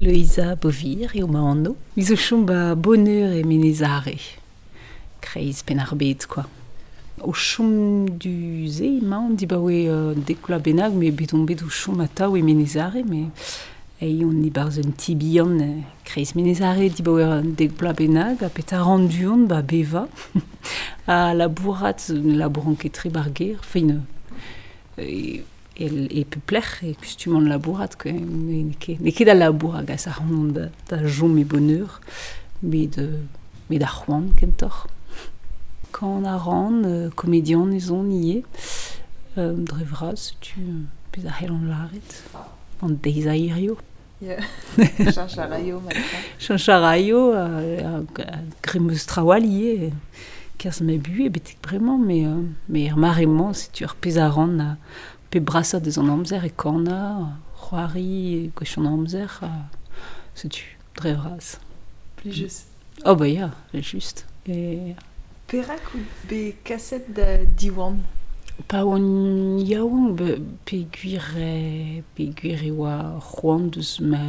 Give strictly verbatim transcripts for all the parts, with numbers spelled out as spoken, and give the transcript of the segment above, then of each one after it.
Loeiza Beauvir eo ma anv. Me zo chom ba Boneur e Menez Are. Kreiz Penn-ar-Bed, quoi. O chom du-se emaon dibaoe euh, dek vloaz bennak, met bet on bet o chom atav e Menez Are, met ei on e-barzh un ti bihan euh, kreiz Menez Are dibaoe un dek vloaz bennak, ha petra ran du-hont ba bevañ. Ha labourat, labouran ket tre ba'r gêr, fin euh, e, e pep lec'h e kustuman labourat, quoi. N'eo ket, n'eo ket al labour a gas ac'hanon da, da chom e Boneur, met, euh, met ar c'hoant kentoc'h. Kan a ran, euh, komedian ez on ivez, euh, dre vras, setu euh, pezh a c'hellan lâret, an deiz a hirio. Ya. Cheñch a raio matra. Cheñch a raio, euh, graet 'm eus traoù all ivez, kerzh ma buhez betek bremañ, met, euh, met er mare-mañ, setu ar pezh a ran a pe brasañ deus an amzer e kanañ, c'hoari, gwech an amzer, ha setu, dre vras. Plijus. Oh bah ya, evel-just. E... Perak out bet kaset da Diwan? Pa oan yaouank, be, peogwir e, peogwir e oa c'hoant deus ma,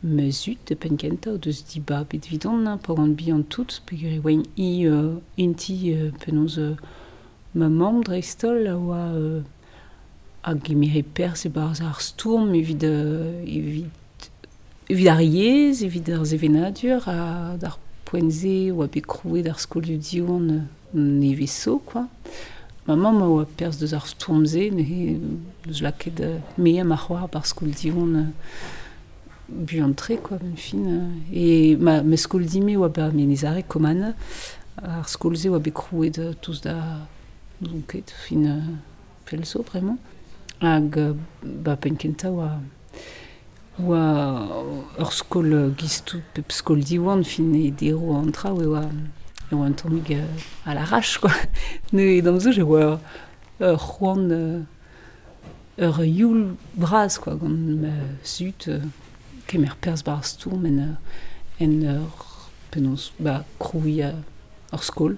ma zud e penn-kentañ, deus dibabet evidon, hein, pa oan bihan tout, peogwir e oaint hi euh, int-hi euh, penaos euh, ma mamm dreist-holl a oa euh, a gemere perzh e-barzh ar stourm evit, euh, evit, evit ar yezh, evit ar sevenadur, ha d'ar poent-se oa bet krouet ar skolioù Diwan euh, nevez zo, quoi. Ma mamm a oa perzh deus ar stourm-se, neuze deus lakaet euh, me ha ma c'hoar ba'r skol Diwan euh, buan-tre, quoi, benn fin. Euh, e ma, ma skol din-me oa ba Menez Are, Kommanna, ar skol-se oa bet krouet euh, tost da n'ouzon ket, fin euh, pell zo bremañ. Hag euh, ba penn-kentañ oa oa ur skol euh, giz tout pep skol Diwan, fin e deroù an traoù e oa e oa un tammig euh, à l'arrache, quoi. Neuze d'am soñj e oa ur c'hoant euh, ur youl bras, quoi, gant ma zud euh, kemer perzh ba'r stourm en ur, en ur penaos ba krouiñ ur skol,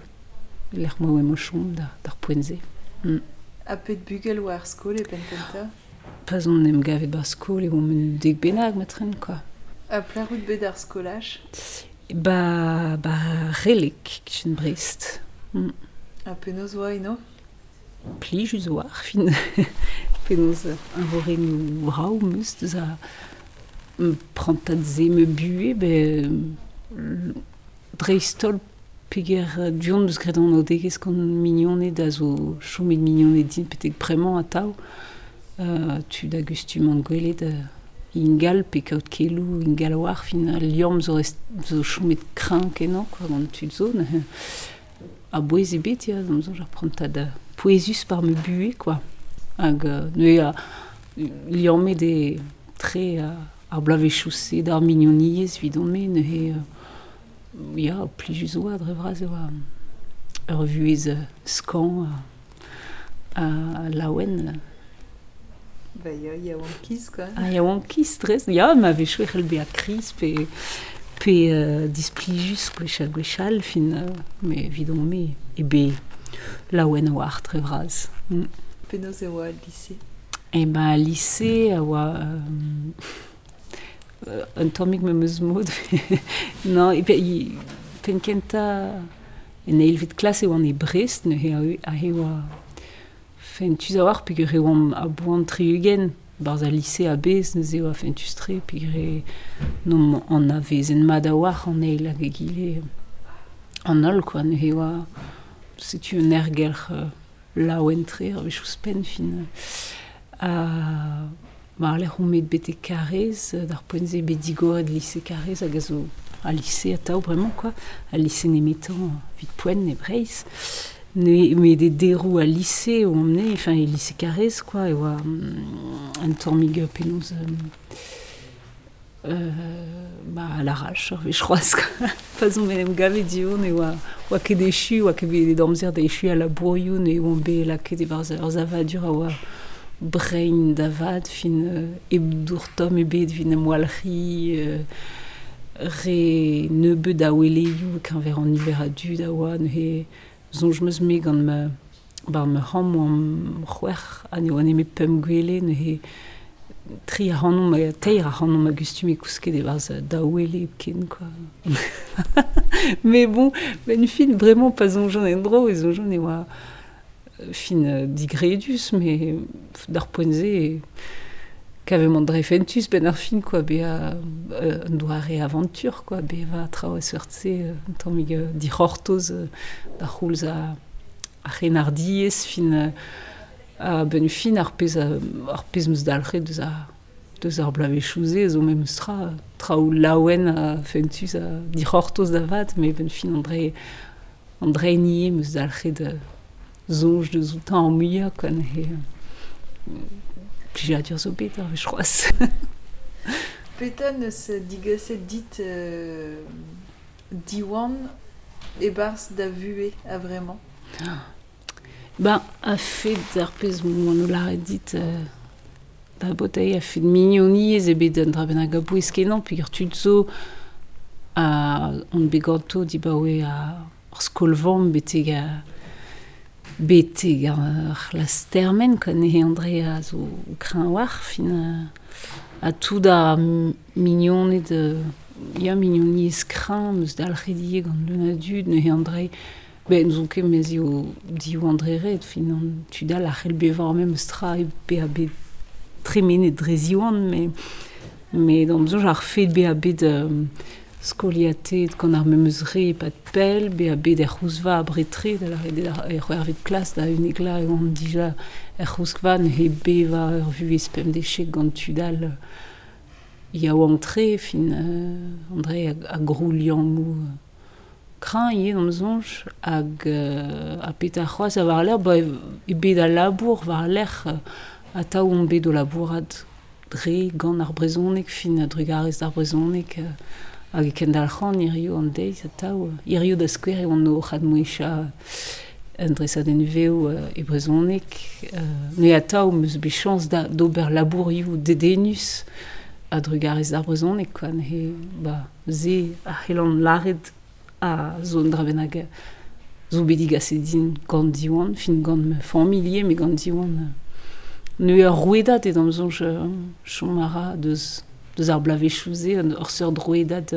lec'h ma oa o chom da, d'ar poent-se. Mm. Ha pet bugel oa ar skol e penn-kentañ? Pa'z on em gavet ba'r skol e oamp un dek bennak matren, quoi. Ha pelec'h out bet d'ar skolaj? Ba, ba Releg, kichen Brest. Mm. Ha penaos oa eno? Plijus oa ar fin. Penaos eñvorennoù brav 'm eus deus a prantad-se ma buhez, ben dreist-holl peger du-hont 'm eus graet anaoudegezh gant mignoned a zo chomet mignoned din betek bremañ atav. Euh, tud a gustuman gwelet euh, ingal pe kaout keloù ingal a-walc'h, fin al liamm zo, rest, zo chomet kreñv kenañ, quoi, gant tud zo. Neuze a-bouez ebet, ya, d'am soñj ar prantad euh, pouezus par ma buhez, quoi. Hag euh, neuze a liammet eo tre euh, ar bloavezhioù-se d'ar mignoniezh evidon-me, neuze euh, ya, plijus oa dre vras e oa ur vuhez euh, skañv ha, ha laouen. Ba ya, yaouankiz, quoi. Ah, yaouankiz, dres. Ya, ma a-wechoù e c'hell bezañ kriz pe, pe euh, displijus gwechall gwechall, fin, euh, met evidon-me e bet laouen a-walc'h dre vras. Mm. Penaos e oa al lise? E ben al lise a oa euh, un tammig memes mod. Non, e pe, penn-kentañ en eilvet klas e oan e Brest, neuze aze oa fentus a-walc'h peogwir e oamp a-boan tri-ugent barzh al lise a-bezh, neuze oa fentus-tre peogwir e n'omp anavezen mat a-walc'h an eil hag egile an holl, quoi. Neuze oa setu un aergelc'h euh, laouen-tre ar wech ouzhpenn fin. Ha war-lerc'h on bet betek Karaez, d'ar poent-se bet digoret lise Karaez hag a zo al lise atav bremañ, quoi. Al lise nemetañ evit poent e Breizh. Neuze met e deroù al lise oamp-ne, enfin e lise Karaez, quoi, e oa un tammig penaos euh, euh, ba à l'arrache ur wech c'hoazh, quoi. Pa'z on en em gavet du-hont e oa, oa ket echu, oa ket bet amzer da echu al labourioù, neuze oamp bet lakaet e-barzh ur savadur a oa brein da vat, fin euh, hep dour tomm ebet evit em walc'hiñ, euh, re nebeut a weleioù keñver an niver a dud a oa, neuze soñj 'm eus me gant ma, bar ma c'hamp oamp c'hwec'h ha ne oa nemet pemp gwele, neuze Tri ac'hanomp, teir ac'hanomp a gustume kousket e-barzh daou wele hepken, quoi. Mais bon, ben fin, bremañ pa soñjan en-dro, e soñjan e oa fin digredus, mais d'ar poent-se kavemp an dre fentus ben ar fin, quoi, bezañ un doare aventure, quoi, bevañ traoù a seurt-se, un tammig dic'hortoz da c'houlz a, ar c'hrennardiezh, fin a ben fin ar pezh ar pezh 'm eus dalc'het deus ar deus ar bloavezhioù-se zo memes tra traoù laouen ha fentus ha dic'hortoz da vat, met ben fin an dre an dre nie 'm eus dalc'het soñj deus outañ ar muiañ, quoi, neuze plijadur zo bet ar wech c'hoazh. Petra 'neus digaset dit euh, Diwan e-barzh da vuhez a-vremañ? Ben, a-fet ar pezh m'oan o lâret dit euh, da baotr a-fet mignoniezh eo bet un dra bennak a-bouez kenañ peogwir tud zo a on bet ganto dibaoe ar skol-vamm betek a betek ar c'hlas termen, quoi, neuze André a zo kreñv war fin ha tout ar mignoned ya mignoniezh kreñv 'm eus dalc'het ivez gant leun a dud neuze André ben n'ouzon ket mez eo div André ret fin an tud all a c'hell bevañ memes tra e bezañ bet tremenet dre ziwan mais mais d'am soñj ar fed bezañ bet euh, skoliatet gant ar memes re e-pad pell, bezañ bet er c'houzva abred-tre, da lâret eo er c'hwec'hvet klas da unnek la e oan dija er c'houskva neuze bevañ ur vuhez pemdeziek gant tud all yaouank-tre fin euh, André a, a grou liammoù kreñv ivez d'am soñj hag euh, ha petra c'hoazh a war-lerc'h ba e bet al labour war-lerc'h atav on bet o labourat dre gant ar brezhoneg fin a-drugarez d'ar brezhoneg hag e kendalc'han hiziv an deiz atav hiziv da skouer eo an o c'hadmouezhañ un dresadenn vev e brezhoneg neuze atav 'm eus bet chañs da d'ober labourioù dedennus a-drugarez d'ar brezhoneg, quoi, neuze ba se a c'hellan lâret a zo un dra bennak zo bet digaset din gant Diwan, fin gant ma familh ivez, met gant Diwan neuze ur rouedad eo d'am soñj chom a ra deus deus ar bloavezhioù-se, ur seurt rouedad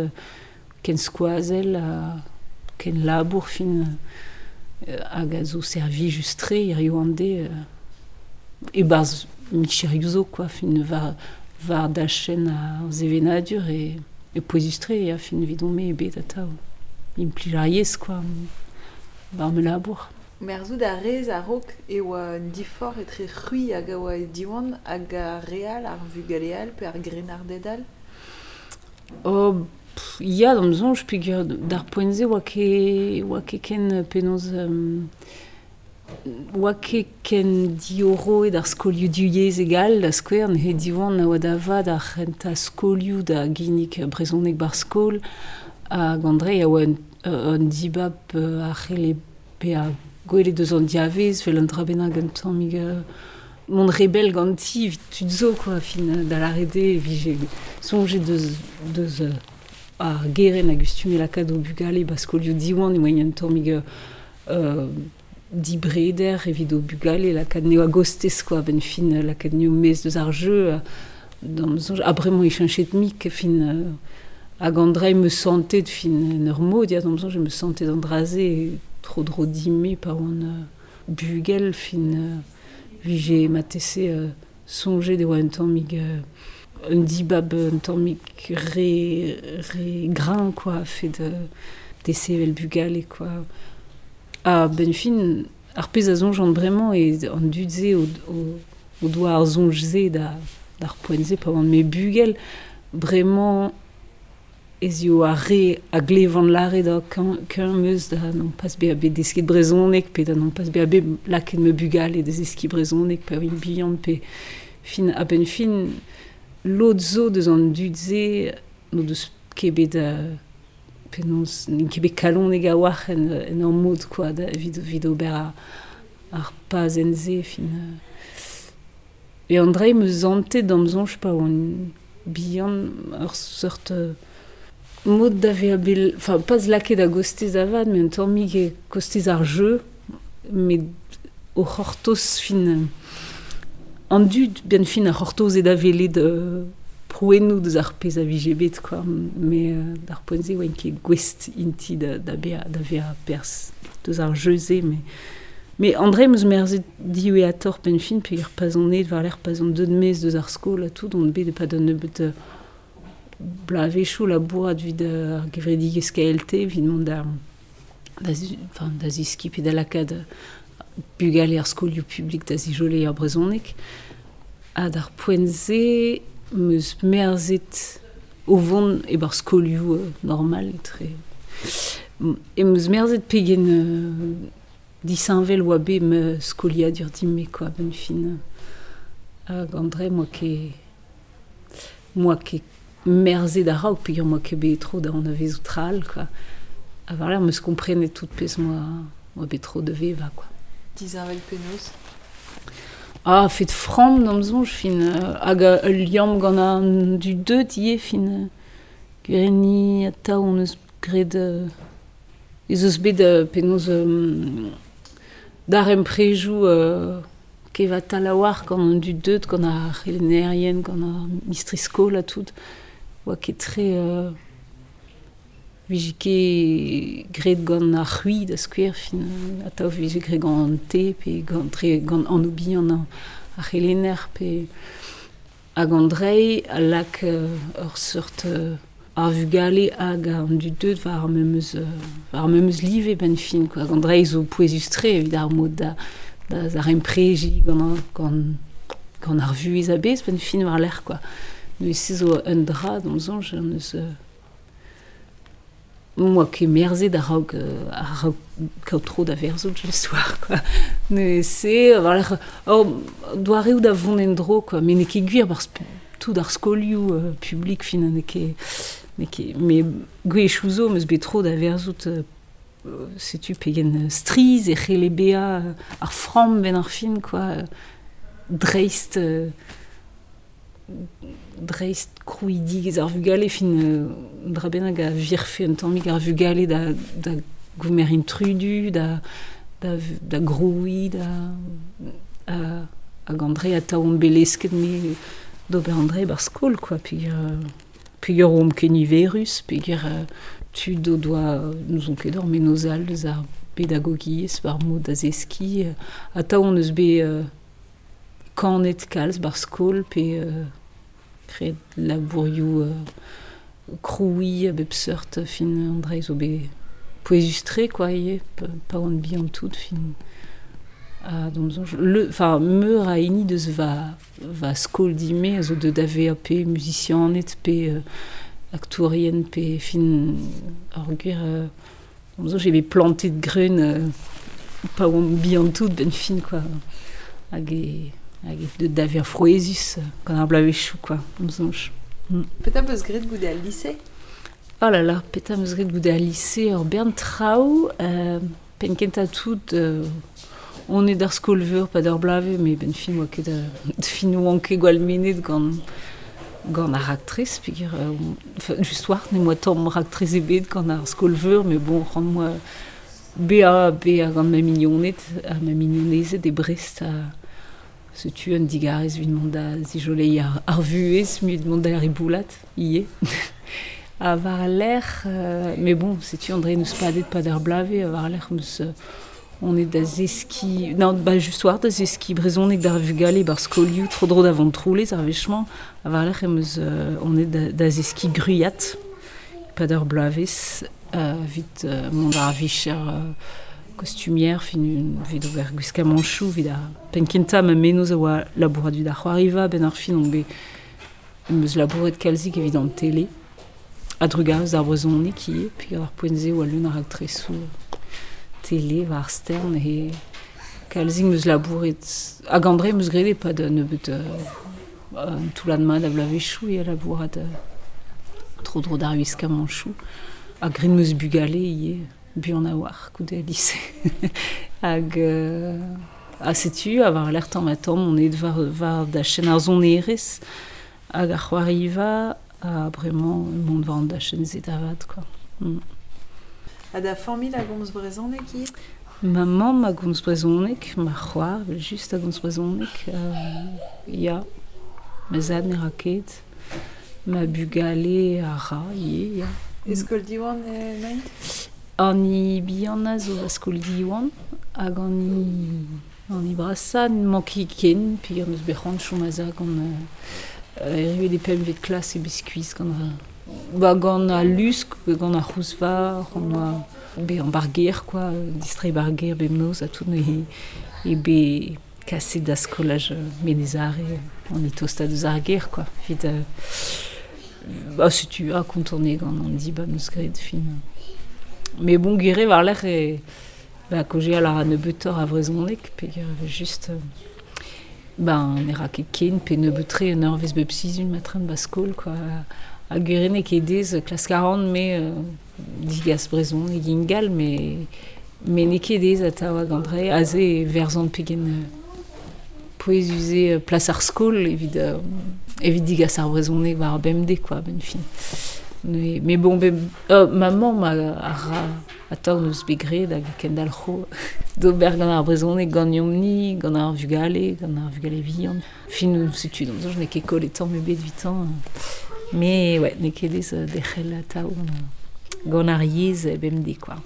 ken skoazell ha ken labour fin hag a zo servijus-tre hiziv an deiz e-barzh micherioù zo, quoi, fin war war dachenn ar sevenadur e, e pouezus-tre ya fin evidon-me eo bet atav implij ar yezh, quoi, war ma labour. Merzout a rez a-raok e oa un diforc'h etre c'hwi hag a oa e Diwan hag ar re all, ar vugale all pe ar grennarded all? Oh, pff, ya, d'am soñj, peogwir d'ar poent-se oa ket oa ket ken penaos um, oa ket ken diorroet ar skolioù divyezhek all, da skouer, neuze Diwan a oa da vat ar c'hentañ skolioù da ginnig brezhoneg ba'r skol, hag André a oa un, un dibab a c'helle bezañ gwelet eus an diavez, vel un dra bennak un tammig mont rebell ganti evit tud zo, quoi, fin da lâret eo e vije soñjet deus deus ar gerent a gustume lakaat o bugale ba skolioù Diwan e oa un tammig euh, dibreder evit o bugale lakaat neo a-gostez, quoi, ben fin lakaat neo maez deus ar jeu d'am soñj ha bremañ e cheñchet mik fin hag an dra 'm eus santet fin en ur mod ya d'am soñj em eus santet an dra-se tro-dro din-me pa oan bugel fin vije matese soñjet e oa un tammig un dibab un tammig re re greñv, quoi, a-fet desevel bugale, quoi. Ha ben fin ar pezh a soñjan bremañ eo an dud-se o, o, o doa ar soñj-se da d'ar poent-se pa oan me bugel bremañ ez eo ar re a glevan lâret da keñv 'm eus da non pas bezañ bet desket brezhoneg pe da non pas bezañ bet lakaet ma bugale da zeskiñ brezhoneg pa oant bihan pe fin a-benn fin lod zo deus an dud-se n'o deus ket bet penaos n'int ket bet kalonek a-walc'h en, en ur mod, quoi, da, evit, evit ober ar, ar pazenn-se fin. E an dra 'm eus santet d'am soñj pa oan bihan ur seurt mod da vezañ bet, enfin pas lakaet a-gostez avat, met un tammig e kostez ar jeu, met o c'hortoz fin An dud ben fin ar c'hortoz e da welet euh, prouennoù deus ar pezh a vije bet, quoi. Mais euh, d'ar poent-se oa ket gouest inti da, da bezañ da vezañ perzh deus ar jeu-se, mais Mais André meus merzet diwezhatoc'h ben fin peogwir pa 'z on aet war-lerc'h pa 'z on deuet maez deus ar skol ha tout on bet e-pad un nebeud euh, bloavezhioù labourat evit ar gevredigezh K L T evit mont da da enfin, da zeskiñ pe da lakaat bugale ar skolioù publik da zijoleiñ ar brezhoneg. Ha d'ar poent-se meus merzet o vont e-barzh skolioù euh, normal etre. E meus merzet pegen euh, disheñvel oa bet ma skoliadur din-me, quoi, ben fin. Hag André, moa ket moa ket merzet a-raok peogwir moa ket bet tro da anavezout tra all, quoi. Ha war-lerc'h meus komprenet tout pezh moa moa bet tro da vevañ, quoi. Disheñvel penaos? Ah, fet framm d'am soñj, fin hag ul liamm gant an dud deuet ivez, fin gwir atav hon eus graet euh, ez eus bet euh, penaos euh, darempredoù euh, kevatal a-walc'h gant an dud deuet, gant ar c'helennerien, gant ar mistri-skol ha tout. Oa ket tre euh, vije ket graet gant ar c'hwi da skouer, fin atav vije graet gant an te, pe gant, tre, gant an bihan ar c'helenner, pe hag an drei a lak euh, ur seurt euh, ar vugale hag an dud deuet war ar memes, euh, war ar memes live ben fin, quoi. Hag an drei zo pouezus-tre evit ar mod da, da zaremprejiñ gant, gant, gant ar vuhez a-bezh ben fin war-lerc'h, quoi. Neuze se zo un dra d'am soñj, an eus euh, moa ket merzet a-raok euh, a-raok kaout tro da verzout just war, quoi. Neuze se, war-lerc'h, oh, doareoù da vont en-dro, quoi. Mais n'eo ket gwir barzh tout ar skolioù euh, publik fin n'eo ket n'eo ket mais gwechoù zo meus bet tro da verzout euh, setu pegen strizh e c'helle bezañ ar framm benn ar fin, quoi. Dreist euh, dreist krouidigezh ar vugale fin euh, dra bennak a virfe un tammig ar vugale da, da gomer intrudu, da, da, da grouiñ, da a, hag André atav on bet lesket me d'ober André bar skol, quoi, peogwir peogwir omp ket niverus, peogwir euh, tud o doa n'ouzon ket ur mennozh all deus ar pedagogiezh war mod da zeskiñ. Atav on eus bet euh, kanet kalz bar skol pe euh, graet labourioù euh, krouiñ a bep seurt fin André zo bet pouezus-tre, quoi, ivez, pa oan bihan tout fin. Ha d'am soñj, le, enfin, meur a hini deus va, va skol din-me a zo deut da vezañ pe muzisianed pe euh, aktourien pe fin ar gwir euh, d'am soñj eo bet plantet greun euh, pa oan bihan tout ben fin, quoi. Hag e, hag e deut da vezañ frouezhus gant ar bloavezhioù, quoi, d'am soñj. Mm. Petra 'peus graet goude al lise? Oh là là, petra 'meus graet goude al lise ur bern traoù, euh, penn kentañ tout euh, on est d'ar skol-veur pa d'ar bloavezh, mais ben fin oa ket euh, fin oan ket gwall mennet gant gant ar raktres, peogwir euh, enfin, just war ne moa tamm raktres ebet gant ar skol-veur, mais bon, c'hoant moa bezañ bezañ gant ma mignoned ha ma mignonezed e Brest ha setu un digarez evit mont da zijoleiñ ar, ar vuhez, evit mont da riboulat ivez. Ha war-lerc'h, euh, mais bon, setu André n'eus padet pa d'ar bloavezh, war-lerc'h meus euh, on est da zeskiñ, non, ba just war da zeskiñ brezhoneg d'ar vugale bar skolioù tro-dro da Vontroulez ar wech-mañ, ha war-lerc'h em eus euh, on est da, da zeskiñ gwriat pa d'ar bloavezh, euh, evit euh, mont ar vicher euh, costumière, fin evit ober gwiskamanchoù, evit ar penn kentañ ma mennozh a oa labourat evit ar c'hoariva, benn ar fin on bet em eus labouret kalzik evit an tele, a-drugarez ar brezhoneg ivez, peogwir ar poent-se oa leun ar raktresoù tele war ar stern e kalzik 'm eus labouret hag André 'm eus graet e-pad un nebeud euh, un toullad mat a bloavezhioù eo labourat euh, tro-dro d'ar gwiskamanchoù. Ha graet 'm eus bugale ivez, buan a-walc'h goude al lise. Hag euh, ha setu ha war-lerc'h tamm-ha-tamm on aet war, war dachenn ar sonerezh hag ar c'hoariva ha bremañ mont war an dachenn-se da vat, quoi. Mm. Ha da familh a gomz brezhoneg ivez? Ma mamm a gomz brezhoneg, ma c'hoar, just a gomz brezhoneg, euh, ya, ma zad ne ra ket, ma bugale a ra, ivez, ya. E skol Diwan emaint? An hini bihanañ zo ba skol Diwan, hag an hini, an hini brasañ n'emañ ket ken, peogwir n'eus bet c'hoant chom a-za gant euh, erruet e pempvet klas e bet skuizh gant ba gant al lusk, gant ar c'houzvar, on oa bezañ ba'r gêr quoi, distreiñ ba'r gêr bemnoz ha tout neuze e bet kaset da skolaj Menez Are an e tostañ deus ar gêr quoi, evit euh, ba setu ha kontant eo gant an dibab neus graet fin. Mais bon gwir eo war-lerc'h e ba kaozeal a ra nebeutoc'h a vrezhoneg peogwir e vez just euh, ben ne ra ket ken pe nebeut-tre un eurvezh bep sizhun matre'n ba skol quoi. Ha gwir eo n'eo ket aes klask a ran me euh, digas brezhoneg ingal mais mais n'eo ket aes atav hag an dra aze e verzan pegen euh, pouezus eo plas ar skol evit euh, evit digas ar brezhoneg war ar bemdez quoi benn fin. Mais, mais bon, be, euh, ma mamm a, a ra atav neus bet graet hag kendalc'ho d'ober gant ar brezhoneg ganeomp-ni, gant ar vugale, gant ar vugale vihan. Fin, setu, d'am soñj n'eo ket kollet tamm ebet evitañ. Mais ouais, n'eo ket aes derc'hel atav gant, gant ar yezh bemdez quoi.